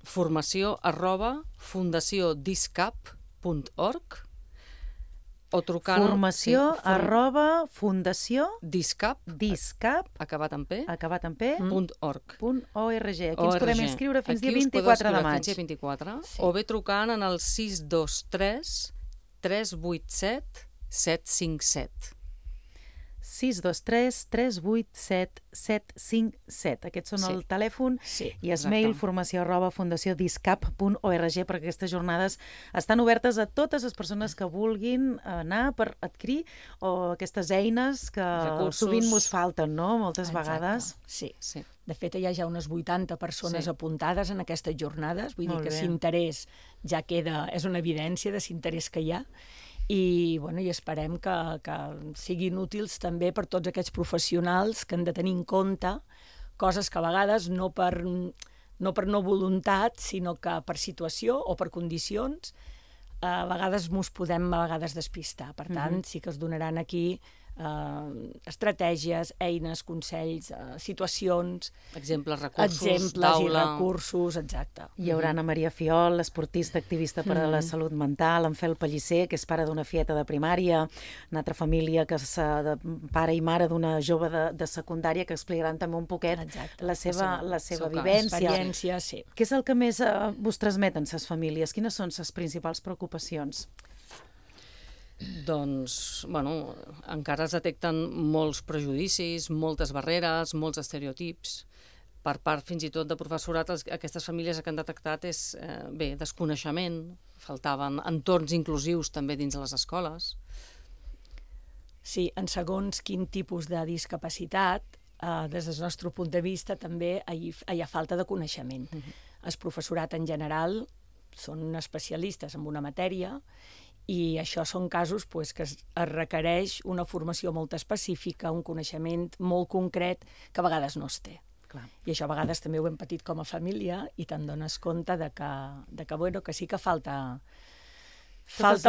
formació@fundacioDiscap.org o trucant... Formació@Fundació Discap acabat en P .org. Aquí ens podem inscriure fins dia 24 de maig. O bé trucant en el 623 387 757. 623 387 757. Aquests són el telèfon i el mail formació@fundaciodiscap.org, perquè aquestes jornades estan obertes a totes les persones que vulguin anar per adquirir aquestes eines que sovint mos falten, no? Moltes vegades. Sí. De fet, hi ha ja unes 80 persones apuntades en aquestes jornades, vull dir que l'interès ja queda, és una evidència de l'interès que hi ha, i esperem que siguin útils també per tots aquests professionals que han de tenir en compte coses que a vegades no per no voluntat, sinó que per situació o per condicions a vegades ens podem despistar. Per tant, sí que es donaran aquí estratègies, eines, consells, situacions... Exemples, recursos, exacte. Hi haurà Anna Maria Fiol, esportista activista per a la salut mental, en Fel Pellicer, que és pare d'una fieta de primària, una altra família que és pare i mare d'una jove de secundària, que explicaran també un poquet la seva vivència. Què és el que més vos transmeten les famílies? Quines són les principals preocupacions? Doncs, encara es detecten molts prejudicis, moltes barreres, molts estereotips. Per part, fins i tot, de professorat, aquestes famílies que han detectat és, desconeixement, faltaven entorns inclusius també dins de les escoles. Sí, en segons quin tipus de discapacitat, des del nostre punt de vista, també hi ha falta de coneixement. El professorat en general són especialistes en una matèria i això són casos que es requereix una formació molt específica, un coneixement molt concret que a vegades no es té. I això a vegades també ho hem patit com a família i te'n dones compte que sí que falta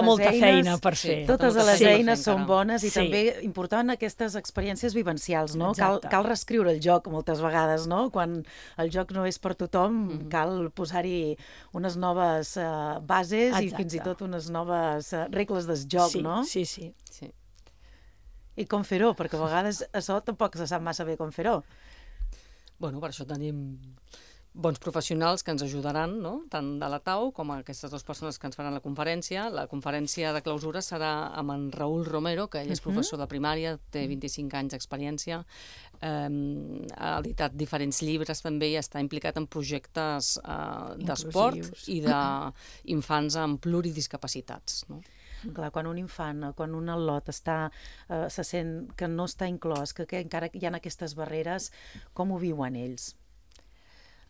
molta feina per fer. Totes les eines són bones i també important aquestes experiències vivencials, no? Cal reescriure el joc moltes vegades, no? Quan el joc no és per tothom, cal posar-hi unes noves bases i fins i tot unes noves regles del joc, no? Sí. I com fer-ho, perquè a vegades això tampoc se sap massa bé com fer-ho. Per això tenim bons professionals que ens ajudaran, no? Tant de la TAU com aquestes dues persones que ens faran la conferència. La conferència de clausura serà amb en Raül Romero, que ell és professor de primària, té 25 anys d'experiència, ha editat diferents llibres també i està implicat en projectes d'esport i d'infants amb pluridiscapacitats, no? Clar, quan un infant, quan un al·lot se sent que no està inclòs, que encara hi ha aquestes barreres, com ho viuen ells?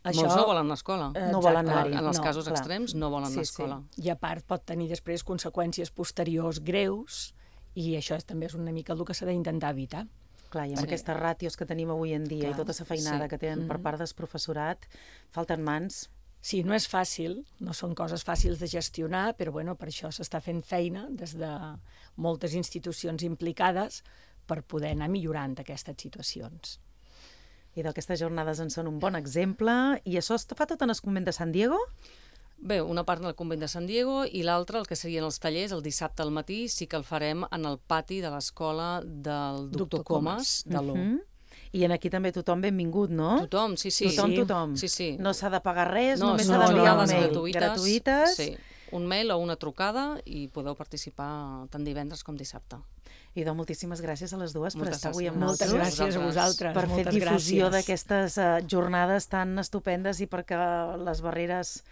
Molts no volen anar a l'escola. No volen anar-hi. En els casos extrems no volen anar a l'escola. I a part pot tenir després conseqüències posteriors greus i això també és una mica el que s'ha d'intentar evitar. Clar, i amb aquestes ràtios que tenim avui en dia i tota la feinada que tenen per part del professorat, falten mans. Sí, no és fàcil, no són coses fàcils de gestionar, però bueno, per això s'està fent feina des de moltes institucions implicades per poder anar millorant aquestes situacions. I d'aquestes jornades en són un bon exemple. I això es fa tot en el convent de San Diego? Bé, una part en el convent de San Diego i l'altra, el que serien els tallers, el dissabte al matí, sí que el farem en el pati de l'escola del doctor Comas, de l'O. I aquí també tothom benvingut, no? Tothom, sí. Tothom. Sí. No s'ha de pagar res, només s'ha d'enviar un mail. Gratuïtes. Sí, un mail o una trucada i podeu participar tant divendres com dissabte. I doncs moltíssimes gràcies a les dues per estar avui amb nosaltres. Moltes gràcies a vosaltres. Per fer difusió d'aquestes jornades tan estupendes i perquè les barreres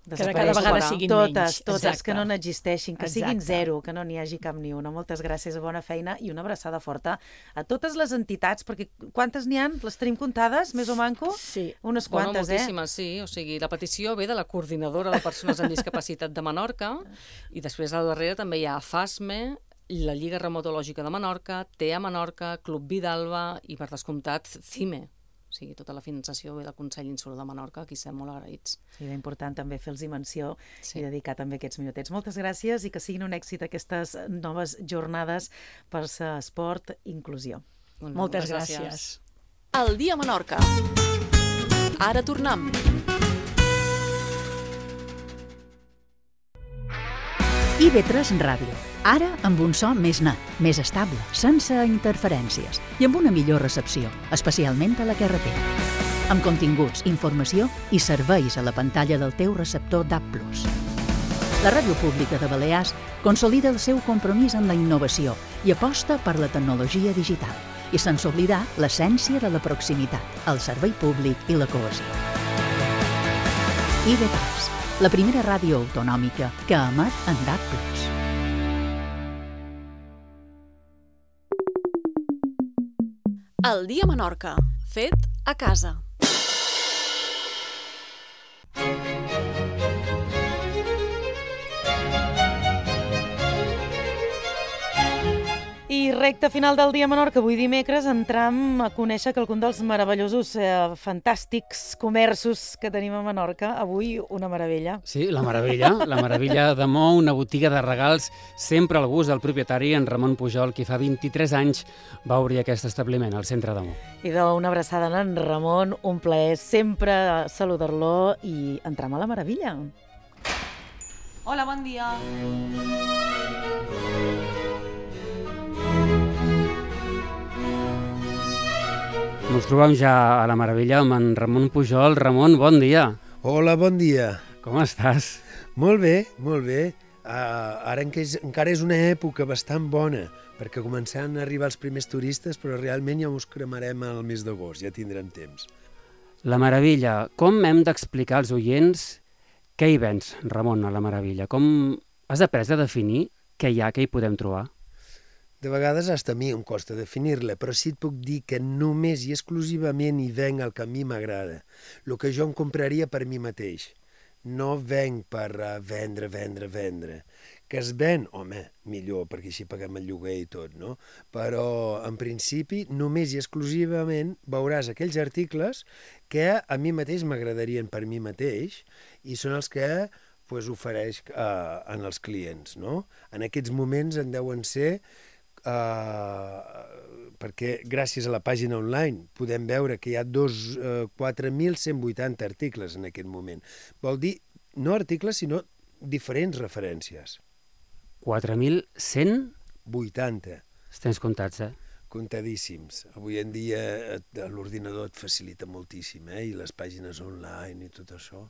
cada vegada siguin menys. Totes, que no n'existeixin, que siguin zero, que no n'hi hagi cap ni una. Moltes gràcies, bona feina i una abraçada forta a totes les entitats, perquè quantes n'hi ha? Les tenim comptades, més o manco? Sí. Unes quantes, moltíssimes, sí. O sigui, la petició ve de la coordinadora de persones amb discapacitat de Menorca i després al darrere també hi ha FASME, la Lliga Reumatològica de Menorca, TEA Menorca, Club Vidalba i, per descomptat, CIME. O sigui, tota la finançació ve del Consell Insular de Menorca, aquí estem molt agraïts. I és important també fer-los menció i dedicar també aquests minutets. Moltes gràcies i que siguin un èxit aquestes noves jornades per l'esport i inclusió. Moltes gràcies. El dia a Menorca. Ara tornem. IB3 Ràdio. Ara amb un so més net, més estable, sense interferències i amb una millor recepció, especialment a la carretera. Amb continguts, informació i serveis a la pantalla del teu receptor DAB+. La Ràdio Pública de Balears consolida el seu compromís amb la innovació i aposta per la tecnologia digital i sense oblidar l'essència de la proximitat, el servei públic i la cohesió. IB3, la primera ràdio autonòmica que emet en DAB+. El dia a Menorca, fet a casa. I recte final del dia a Menorca, avui dimecres, entram a conèixer quelcom dels meravellosos, fantàstics comerços que tenim a Menorca. Avui una meravella. Sí, la meravella de Mo, una botiga de regals sempre al gust del propietari, en Ramon Pujol, qui fa 23 anys va obrir aquest establiment al centre de Mo. I una abraçada a en Ramon, un plaer sempre saludar-lo i entram a la meravella. Hola, bon dia. Ens trobem ja a la meravella amb en Ramon Pujol. Ramon, bon dia. Hola, bon dia. Com estàs? Molt bé, molt bé. Ara encara és una època bastant bona, perquè començaran a arribar els primers turistes, però realment ja us cremarem al mes d'agost, ja tindrem temps. La meravella. Com hem d'explicar als oients què hi vens, Ramon, a la meravella? Com has après a definir què hi ha, què hi podem trobar? De vegades hasta a mi em costa definir-la, però sí et puc dir que només i exclusivament hi venc el que a mi m'agrada, el que jo em compraria per mi mateix. No venc per vendre. Que es ven, home, millor, perquè així paguem el lloguer i tot, no? Però, en principi, només i exclusivament veuràs aquells articles que a mi mateix m'agradarien per mi mateix i són els que ofereix en els clients, no? En aquests moments en deuen ser perquè gràcies a la pàgina online podem veure que hi ha 4.180 articles en aquest moment. Vol dir, no articles, sinó diferents referències. 4.180? 80. Els tens comptats, Comptadíssims. Avui en dia l'ordinador et facilita moltíssim, i les pàgines online i tot això.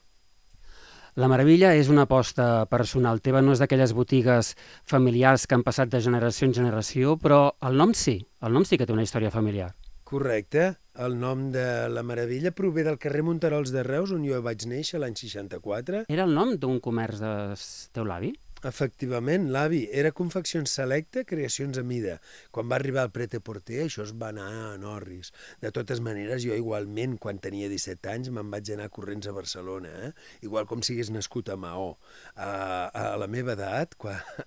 La Meravella és una aposta personal teva, no és d'aquelles botigues familiars que han passat de generació en generació, però el nom sí que té una història familiar. Correcte. El nom de La Meravella prové del carrer Monterols de Reus, on jo vaig néixer l'any 64. Era el nom d'un comerç del teu l'avi? Efectivament, l'avi. Era Confeccions Selecta, Creacions a Mida. Quan va arribar el Pret-a-Porter, això es va anar a Norris. De totes maneres, jo igualment, quan tenia 17 anys, me'n vaig anar corrents a Barcelona, igual com si hagués nascut a Maó. A la meva edat,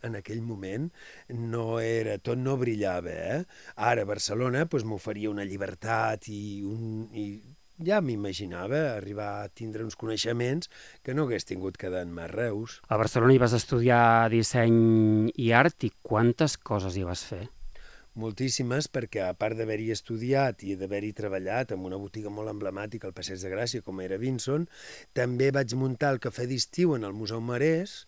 en aquell moment, tot no brillava. Ara, a Barcelona m'oferia una llibertat i ja m'imaginava arribar a tindre uns coneixements que no hagués tingut quedant-me a Reus. A Barcelona hi vas estudiar disseny i art, i quantes coses hi vas fer? Moltíssimes, perquè a part d'haver-hi estudiat i d'haver-hi treballat en una botiga molt emblemàtica al Passeig de Gràcia, com era Vinson, també vaig muntar el cafè d'estiu en el Museu Marès,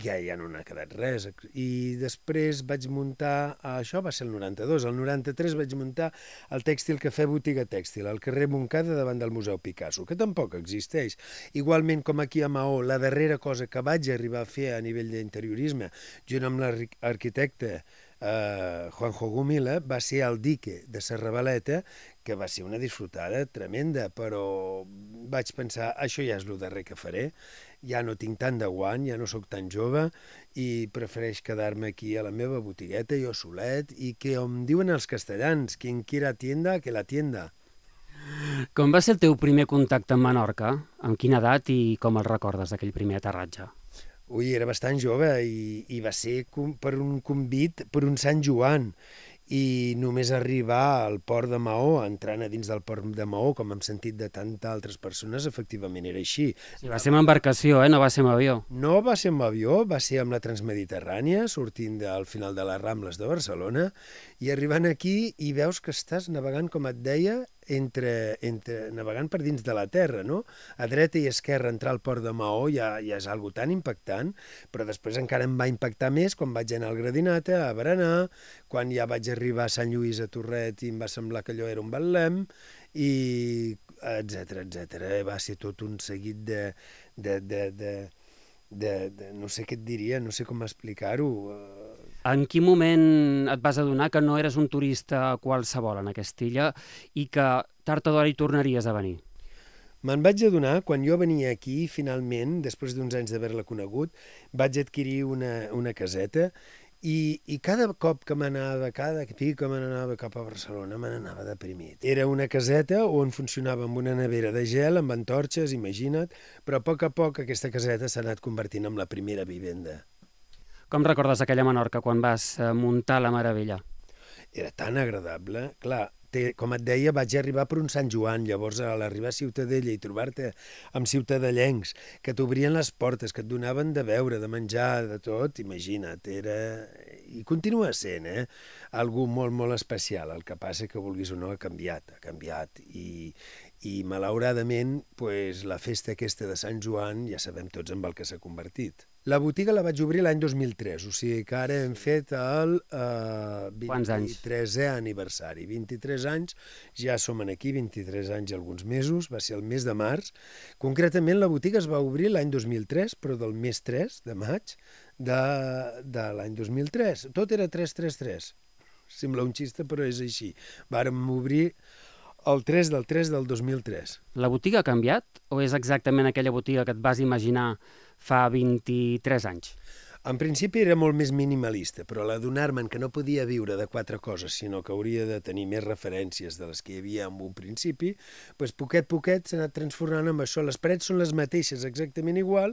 ja no n'ha quedat res. I després vaig muntar, això va ser el 92, el 93 vaig muntar el Tèxtil Cafè Botiga Tèxtil, al carrer Montcada davant del Museu Picasso, que tampoc existeix. Igualment com aquí a Maó, la darrera cosa que vaig arribar a fer a nivell d'interiorisme, junt amb l'arquitecte Juanjo Gumila, va ser el dique de Serravaleta, que va ser una disfrutada tremenda, però vaig pensar, això ja és el darrer que faré, ja no tinc tant de guany, ja no sóc tan jove, i prefereix quedar-me aquí a la meva botigueta, jo solet, i que em diuen els castellans, quien quiera tienda, que la tienda. Com va ser el teu primer contacte amb Menorca? Amb quina edat i com el recordes d'aquell primer aterratge? Ui, era bastant jove i va ser per un convit per un Sant Joan, i només arribar al port de Maó, entrant a dins del port de Maó, com hem sentit de tantes altres persones, efectivament era així. Sí, va ser amb embarcació, no va ser amb avió. No va ser amb avió, va ser amb la Transmediterrània, sortint al final de les Rambles de Barcelona, i arribant aquí i veus que estàs navegant, com et deia, navegant per dins de la terra, no? A dreta i esquerra entrar al port de Maó ja és algo tan impactant, però després encara em va impactar més quan vaig anar al Gradinata, a Berenar, quan ja vaig arribar a Sant Lluís, a Torret, i em va semblar que allò era un Betlem, i etcètera, etcètera. Va ser tot un seguit no sé què et diria, no sé com explicar-ho. En quin moment et vas adonar que no eres un turista qualsevol en aquesta illa i que tard o d'hora hi tornaries a venir? Me'n vaig adonar quan jo venia aquí, finalment, després d'uns anys d'haver-la conegut, vaig adquirir una caseta i cada cop que m'anava, cada pic que m'anava cap a Barcelona, me n'anava deprimit. Era una caseta on funcionava amb una nevera de gel, amb antorxes, imagina't, però a poc aquesta caseta s'ha anat convertint en la primera vivenda. Com recordes aquella Menorca quan vas muntar La Meravella? Era tan agradable, clar. Com et deia, vaig arribar per un Sant Joan, llavors a l'arribar a Ciutadella i trobar-te amb ciutadellencs que t'obrien les portes, que et donaven de beure, de menjar, de tot, imagina't, era... I continua sent, algú molt, molt especial. El que passa que, vulguis o no, ha canviat. I malauradament, la festa aquesta de Sant Joan, ja sabem tots en el que s'ha convertit. La botiga la vaig obrir l'any 2003, o sigui que ara hem fet el 23è aniversari. 23 anys, ja som aquí, 23 anys i alguns mesos, va ser el mes de març. Concretament, la botiga es va obrir l'any 2003, però del mes 3 de maig de l'any 2003. Tot era 333. Sembla un xiste, però és així. Vàrem obrir el 3 del 2003. La botiga ha canviat o és exactament aquella botiga que et vas imaginar fa 23 anys? En principi era molt més minimalista, però a l'adonar-me'n que no podia viure de 4 coses, sinó que hauria de tenir més referències de les que hi havia en un principi, poquet s'ha anat transformant en això. Les parets són les mateixes, exactament igual,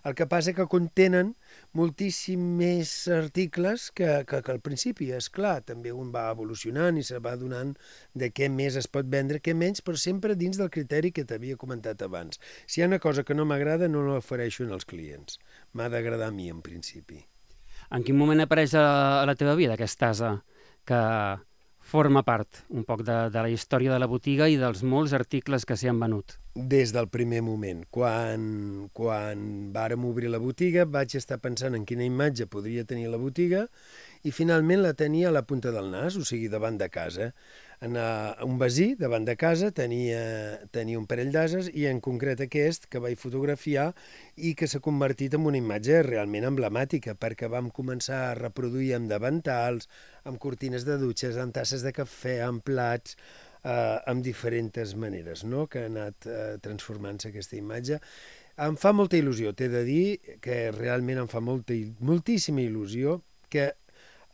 el que passa que contenen moltíssim més articles que al principi. És clar, també un va evolucionant i se va donant de què més es pot vendre, què menys, però sempre dins del criteri que t'havia comentat abans. Si hi ha una cosa que no m'agrada, no l'ofereixo als clients. M'ha d'agradar a mi, en principi. En quin moment apareix a la teva vida aquesta asa que forma part un poc de la història de la botiga i dels molts articles que s'hi han venut? Des del primer moment. Quan vàrem obrir la botiga vaig estar pensant en quina imatge podria tenir la botiga i finalment la tenia a la punta del nas, o sigui, davant de casa. Un veí davant de casa tenia un parell d'ases i en concret aquest que vaig fotografiar i que s'ha convertit en una imatge realment emblemàtica perquè vam començar a reproduir amb davantals, amb cortines de dutxes, amb tasses de cafè, amb plats, amb diferents maneres, no?, que ha anat transformant-se aquesta imatge. Em fa molta il·lusió, t'he de dir que realment em fa moltíssima il·lusió que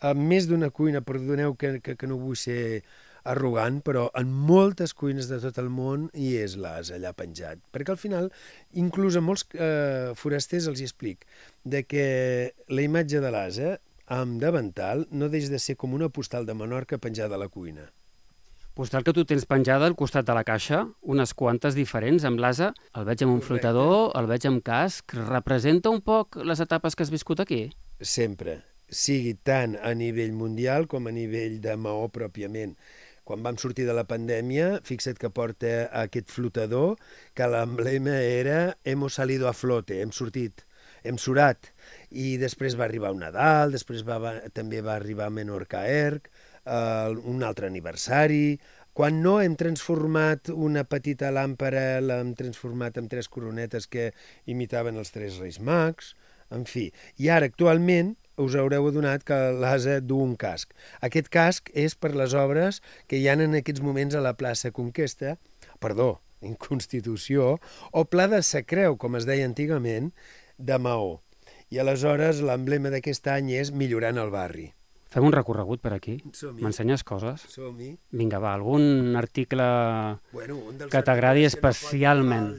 a més d'una cuina, perdoneu que no vull ser arrogant, però en moltes cuines de tot el món hi és l'as allà penjat. Perquè al final, inclús a molts forasters els hi explic de que la imatge de l'ase amb davantal no deixa de ser com una postal de Menorca penjada a la cuina. Postal que tu tens penjada al costat de la caixa, unes quantes diferents, amb l'ase. El veig amb un flotador, el veig amb casc. Representa un poc les etapes que has viscut aquí? Sempre, sigui tant a nivell mundial com a nivell de Maó pròpiament. Quan vam sortir de la pandèmia, fixa't que porta aquest flotador, que l'emblema era «Hemos salido a flote», hem sortit, hem surat. I després va arribar un Nadal, després també va arribar Menorca Erc, un altre aniversari. Quan no, hem transformat una petita làmpara, l'hem transformat en 3 coronetes que imitaven els 3 Reis Mags, en fi. I ara, actualment, us haureu adonat que l'ase du un casc. Aquest casc és per les obres que hi ha en aquests moments a la plaça Conquesta, en Constitució, o Pla de Sa Creu, com es deia antigament, de Maó. I aleshores l'emblema d'aquest any és Millorant el barri. Fem un recorregut per aquí. M'ensenyes coses? Som-hi. Vinga, va, algun article que t'agradi especialment.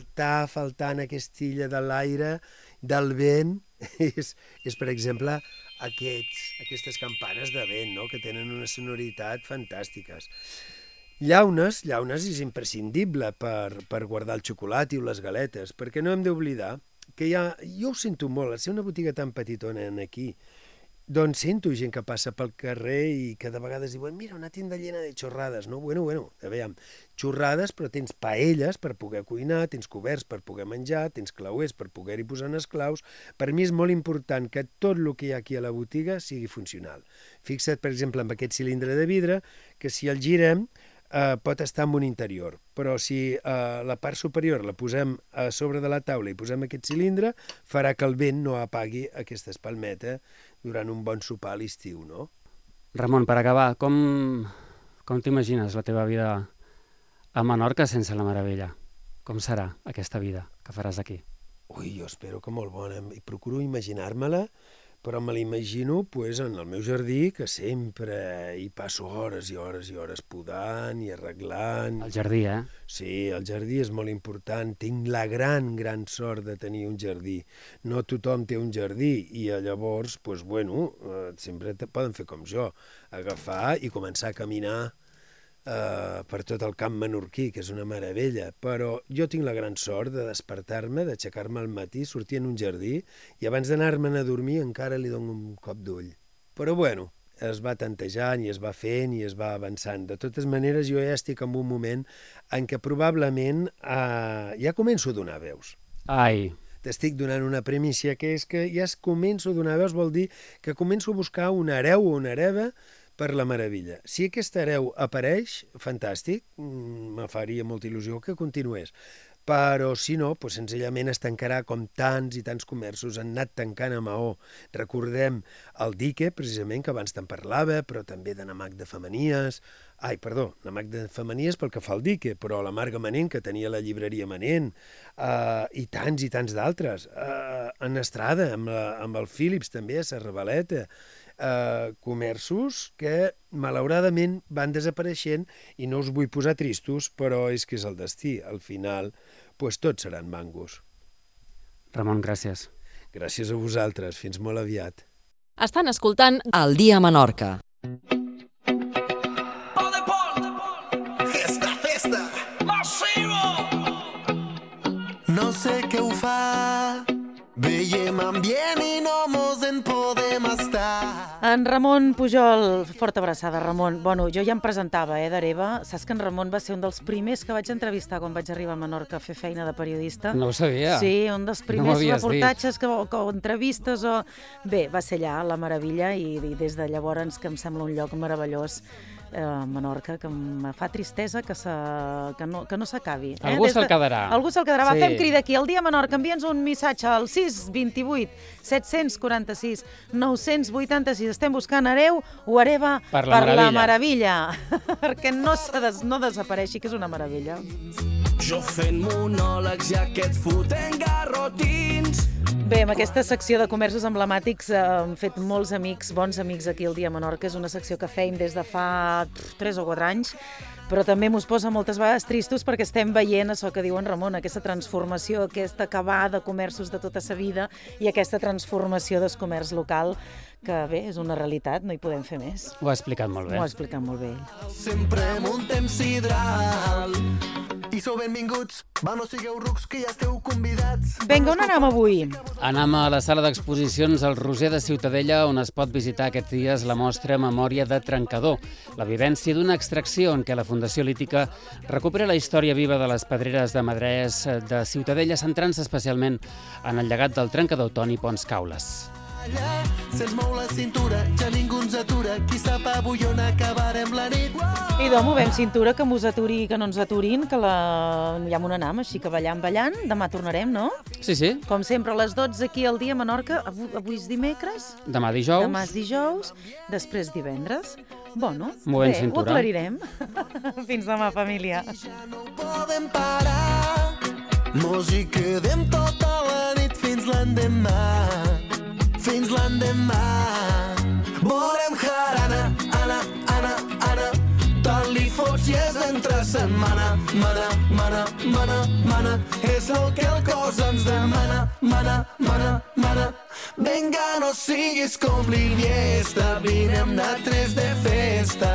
Faltant aquesta illa de l'aire, del vent, és per exemple, aquestes campanes de vent, no?, que tenen una sonoritat fantàstiques. Llaunes és imprescindible per guardar el xocolat i les galetes, perquè no hem d'oblidar que jo ho sento molt, al ser una botiga tan petitona aquí, doncs sento gent que passa pel carrer i que de vegades diuen mira, una tienda llena de xorrades, no? Bueno, aviam, xorrades, però tens paelles per poder cuinar, tens coberts per poder menjar, tens clauers per poder-hi posar els claus. Per mi és molt important que tot el que hi ha aquí a la botiga sigui funcional. Fixa't, per exemple, amb aquest cilindre de vidre, que si el girem pot estar en un interior, però si la part superior la posem a sobre de la taula i posem aquest cilindre, farà que el vent no apagui aquesta espalmeta durant un bon sopar a l'estiu, no? Ramon, per acabar, com t'imagines la teva vida a Menorca sense la Meravella? Com serà aquesta vida que faràs aquí? Ui, jo espero que molt bona. I procuro imaginar-me-la, però me l'imagino en el meu jardí, que sempre hi passo hores i hores i hores podant i arreglant. El jardí, eh? Sí, el jardí és molt important. Tinc la gran sort de tenir un jardí. No tothom té un jardí i llavors, sempre poden fer com jo, agafar i començar a caminar per tot el camp menorquí, que és una meravella, però jo tinc la gran sort de despertar-me, d'aixecar-me al matí, sortir en un jardí i abans d'anar-me'n a dormir encara li dono un cop d'ull. Però es va tantejant i es va fent i es va avançant. De totes maneres, jo ja estic en un moment en què probablement ja començo a donar veus. Ai! T'estic donant una premissa, que és que ja començo a donar veus, vol dir que començo a buscar un hereu o una hereva per la Meravella. Si aquest hereu apareix, fantàstic, me faria molta il·lusió que continués. Però si no, senzillament es tancarà com tants i tants comerços han anat tancant a Maó. Recordem el dique, precisament, que abans te'n parlava, però també de Namac de Femenies. Namac de Femenies pel que fa al dique, però la Marga Manent, que tenia la llibreria Manent, i tants d'altres. En Estrada, amb el Philips, també, a Serravaleta. Comerços que malauradament van desapareixent i no us vull posar tristos, però és que és el destí. Al final, tots seran mangos. Ramon, gràcies. Gràcies a vosaltres. Fins molt aviat. Estan escoltant El dia a Menorca. No sé què ho fa, veiem ambient i no mos en podem estar. En Ramon Pujol, forta abraçada, Ramon. Bueno, jo ja em presentava, d'Areva. Saps que en Ramon va ser un dels primers que vaig entrevistar quan vaig arribar a Menorca a fer feina de periodista? No ho sabia. Sí, un dels primers reportatges o entrevistes o... Bé, va ser allà, la meravella, i des de llavors que em sembla un lloc meravellós, Menorca, que em fa tristesa que no s'acabi. Algú se'l quedarà. Algú se'l quedarà. Va, fem crida aquí. El dia Menorca, envia'ns un missatge al 628 746 986. Estem buscant hereu o hereva per la meravella. Perquè no desapareixi, que és una meravella. Jo fent monòlegs i aquest fotent garrotins. Bé, amb aquesta secció de comerços emblemàtics hem fet molts amics, bons amics aquí al dia Menorca. És una secció que feim des de fa 3 o 4 anys, però també mos posa moltes vegades tristos perquè estem veient això que diu en Ramon, aquesta transformació, aquesta acabar de comerços de tota sa vida i aquesta transformació del comerç local, que bé, és una realitat, no hi podem fer més. Ho ha explicat molt bé. Ho ha explicat molt bé. Sempre muntem sidral i sou benvinguts, va, no sigueu rucs, que ja esteu convidats. Vinga, on anem avui? Anem a la sala d'exposicions al Roser de Ciutadella, on es pot visitar aquests dies la mostra Memòria de Trencador, la vivència d'una extracció en què la Fundació Lítica recupera la història viva de les pedreres de Madrés de Ciutadella, centrant-se especialment en el llegat del trencador Toni Pons Caules. Se'ns mou la cintura, ja ningú ens atura, qui sap avui on acabarem la nit. Idò, movem cintura, que mos aturi i que no ens aturin, que ja m'ho anam, així que ballant. Demà tornarem, no? Sí, sí. Com sempre, a les 12 aquí al dia a Menorca. Avui és dimecres? Demà dijous. Demà és dijous, després divendres. Bueno, movem bé, cintura. Ho aclarirem. Fins demà, família. Ja no podem parar, mos hi quedem tota la nit fins l'endemà. Fins l'endemà. Volem jarana, ana, tot li fots i és entre setmana. Mana, és el que el cos ens demana. Mana. Vinga, no siguis com l'Iniesta, vine amb nosaltres de festa.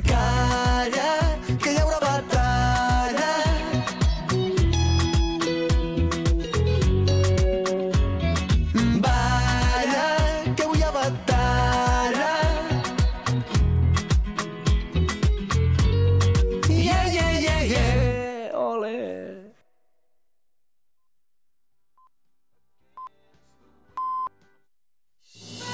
Calla,